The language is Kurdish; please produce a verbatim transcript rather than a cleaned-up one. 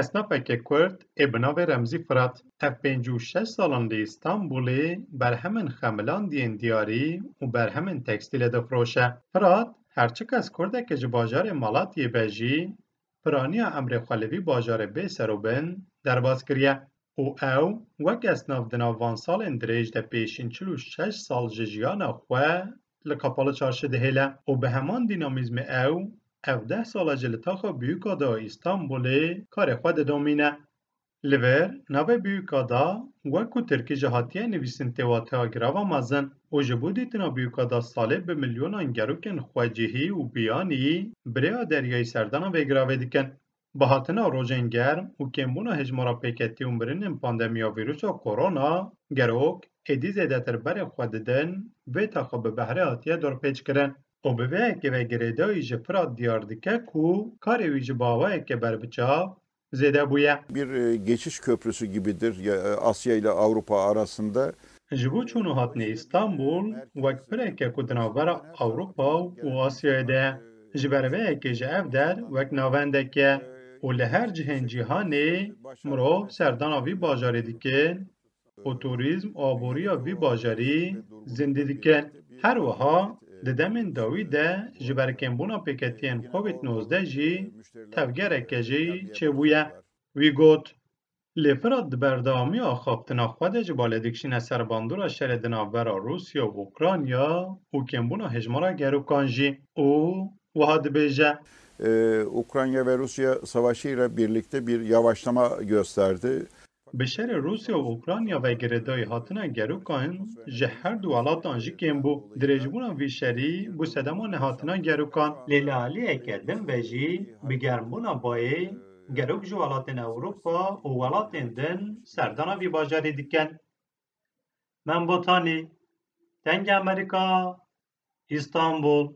Esnafeke Kurd ê bi navê Remzî Firat, ev pêncî û şeş salan li Îstanbulê berhemên xemilandiyên diyarî û berhemên tekstîlê difiroşe. Firat, her çiqas Kurdeke ji bajarê Malatiyê be jî, piraniya emrê xwe li vî bajarê bê serûbin derbas kiriye û ew wek esnaf di nav van salên dirêj de pêşîn çil û şeş sal ji jiyana xwe li Kapalı Çarşı dihêle û bi heman dînamîzmê ew ev deh sal e ji li taxa Büyükada a Îstanbulê karê xwe didomîne. Li vir navê Büyükada, wek ku tirkî jî hatiye nivîsîn, tê wateya girava mezin û ji bo dîtina Büyükada salê bi milyonan gerokên xwecihî û biyanî bi rêya deryayî serdana vê giravê dikin. Bi hatina rojên germ û kêmbûna hejmara pêketî û mirinên pandemiya vîrusa korona, gerok êdî zêdetir berê xwe didin vê taxa bi behrê hatiye dorpêçkirin û bi vê yekê ve girêdayî ji Firat diyar dike ku karê wî ji bi awayeke berbiçav zêde bûye. Bir e, geçiş köprüsü gibidir ya, e, Asya ile Avrupa arasında. Ji bo çûn û hatinê Îstanbul wek pireke ku di navbera Ewropa û Asyayê de ye. Ji ber vê yekê ji ev der wek navendek e û li her cihên cîhanê mirov serdana vî bajarê dikin û turîzm û aboriya vî bajarî zindî dikin. Her wiha di demên dawî de ji ber kêmbûna pêketiyên Covid nozdeh jî tevgereke jî çêbûye. Wî got, Lê Firat di berdewamiya axaftina xwe de ji balê dikişîne ser bandora şerê di navbera Rûsya û Ukrayna û kêmbûna hejmara gerokan jî û wiha dibêje, Ee, Ukrayna ve Rusya savaşıyla birlikte bir yavaşlama gösterdi. Bi şerê Rûsya û Ukrayna ve girêdayî hatina gerokan ji her du welatan jî kêm bû. Dirêjbûna vî şerî bû sedema nehatina gerokan. Lê li aliyeke din ve jî bi germbûna bayê gerok ji welatên Ewropa û welatên din serdana vî bajarî dikin. Mem Botanî, Dengê Amerîka, Îstanbul.